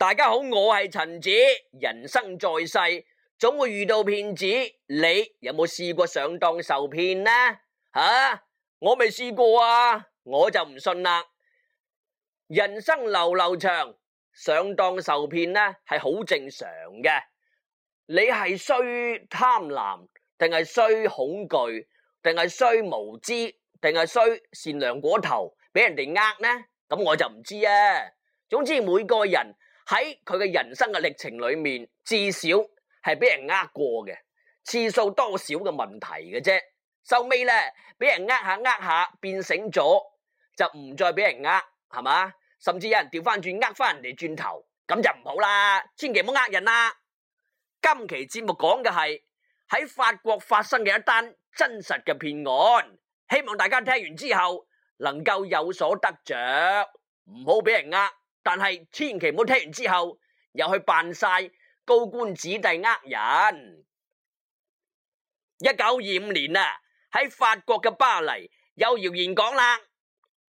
大家好，我係陳子。人生在世，總會遇到騙子。你有冇試過上當受騙呢？我未試過啊，我就唔信啦。人生流流長，上當受騙呢係好正常嘅。你係衰貪婪，定係衰恐懼，定係衰無知，定係衰善良過頭，俾人哋呃呢？咁我就唔知啊。總之每個人喺佢嘅人生嘅歷程裏面，至少係俾人呃過嘅，次數多少嘅問題嘅啫。收尾呢，俾人呃下，變醒咗就唔再俾人呃，係嘛？甚至有人調翻轉呃翻人哋轉頭，咁就唔好啦，千祈唔好呃人啦。今期節目講嘅係喺法國發生嘅一單真實嘅騙案，希望大家聽完之後能夠有所得着，唔好俾人呃。但係千祈唔好聽完之後又去扮晒高官子弟呃人。1925年啊，喺法國嘅巴黎有謠言講啦，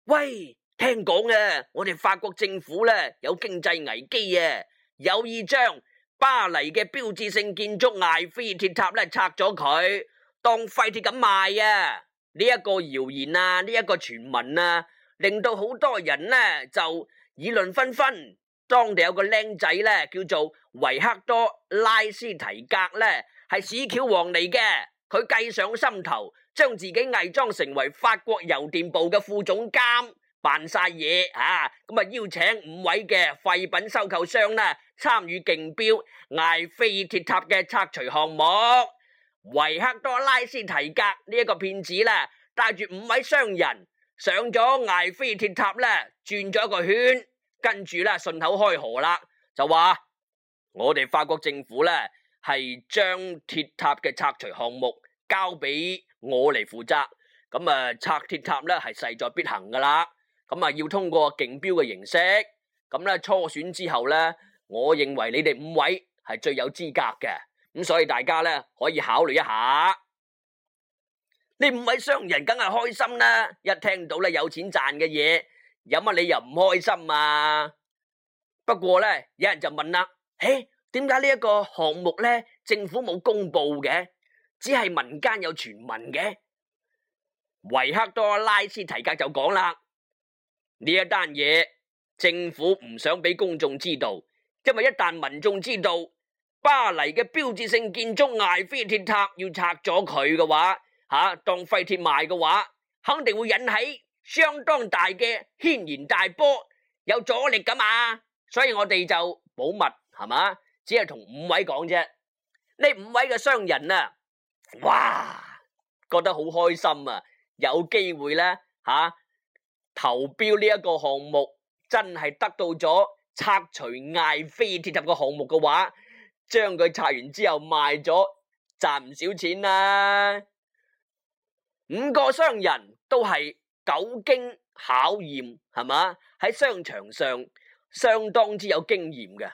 喂，聽講啊，我哋法國政府咧有經濟危機啊，有意將巴黎嘅標誌性建築艾菲鐵塔咧拆咗佢，當廢鐵咁賣啊！呢一個謠言啊，呢一個傳聞啊，令到好多人呢就議論紛紛。當地有個僆仔咧叫做維克多拉斯提格咧，係屎橋王嚟嘅。佢計上心頭，將自己偽裝成為法國郵電部嘅副總監，扮晒嘢咁啊邀請5位嘅廢品收購商呢參與競標艾菲鐵塔嘅拆除項目。維克多拉斯提格呢一個騙子咧，帶住5位商人上咗艾菲鐵塔咧，轉咗一個圈，跟住咧順口開河啦，就話我哋法國政府咧係將鐵塔嘅拆除項目交俾我嚟負責，咁啊拆鐵塔咧係勢在必行噶啦，咁啊要通過競標嘅形式，咁咧初選之後咧，我認為你哋5位係最有資格嘅，咁所以大家咧可以考慮一下。呢5位商人梗係開心啦，一聽到咧有錢賺嘅嘢，有乜理由唔開心啊？不過咧，有人就問啦，點解呢一個項目咧政府冇公布嘅，只係民間有傳聞嘅？維克多拉斯提格就講啦，呢一單嘢政府唔想俾公眾知道，因為一旦民眾知道巴黎嘅標誌性建築艾菲鐵塔要拆咗佢嘅話，當廢鐵賣嘅話，肯定會引起相當大嘅軒然大波，有阻力噶嘛，所以我哋就保密，係嘛，只係同5位講啫。呢5位嘅商人啊，哇，覺得好開心啊，有機會咧投標呢一個項目，真係得到咗拆除艾菲鐵塔嘅項目嘅話，將佢拆完之後賣咗，賺唔少錢啦。5個商人都係久經考驗，係嘛，喺商場上相當之有經驗嘅，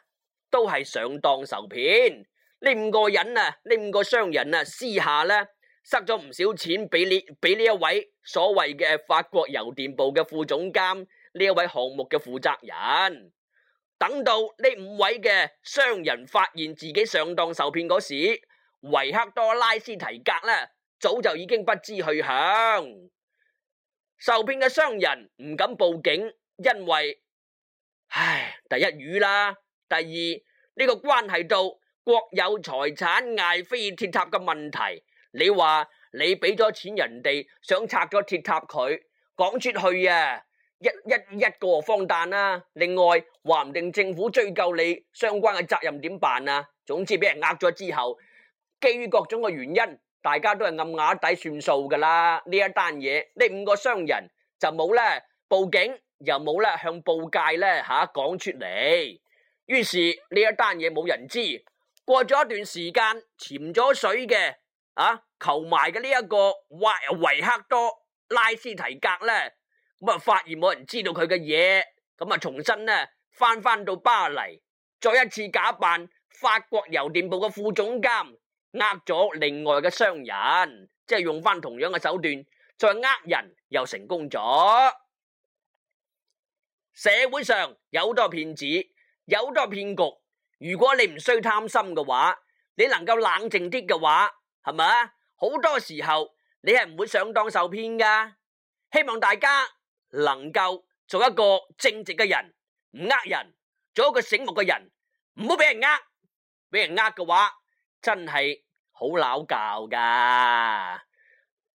都係上當受騙。呢5個人啊，呢5個商人啊，私下咧塞咗唔少錢俾呢一位所謂嘅法國郵電部嘅副總監，呢一位項目嘅負責人。等到呢5位嘅商人發現自己上當受騙嗰時，維克多拉斯提格咧早就已經不知去向。受騙嘅商人唔敢報警，因為第一魚啦，第二呢個關係到國有財產艾菲鐵塔嘅問題。你話你俾咗錢人哋，想拆咗鐵塔佢，講出去啊，一個荒誕啦。另外話唔定政府追究你相關嘅責任點辦啊？總之俾人呃咗之後，基於各種嘅原因，大家都係暗啞底算數噶啦。呢一單嘢，呢5個商人就冇咧報警，又冇咧向報界咧講出嚟。於是呢一單嘢冇人知。過咗一段時間，潛咗水嘅求埋嘅呢一個維克多拉斯提格咧，咁啊發現冇人知道佢嘅嘢，咁啊重新咧翻到巴黎，再一次假扮法國郵電部嘅副總監，呃咗另外嘅商人，即係用翻同樣嘅手段，再呃人又成功咗。社會上有好多騙子，有好多騙局。如果你唔需貪心嘅話，你能夠冷靜啲嘅話，係咪啊？好多時候你係唔會上當受騙噶。希望大家能夠做一個正直嘅人，唔呃人，做一個醒目嘅人，唔好俾人呃。俾人呃嘅話，真係好拗教噶。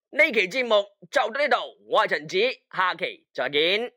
呢期節目就到呢度，我係陳子，下期再見。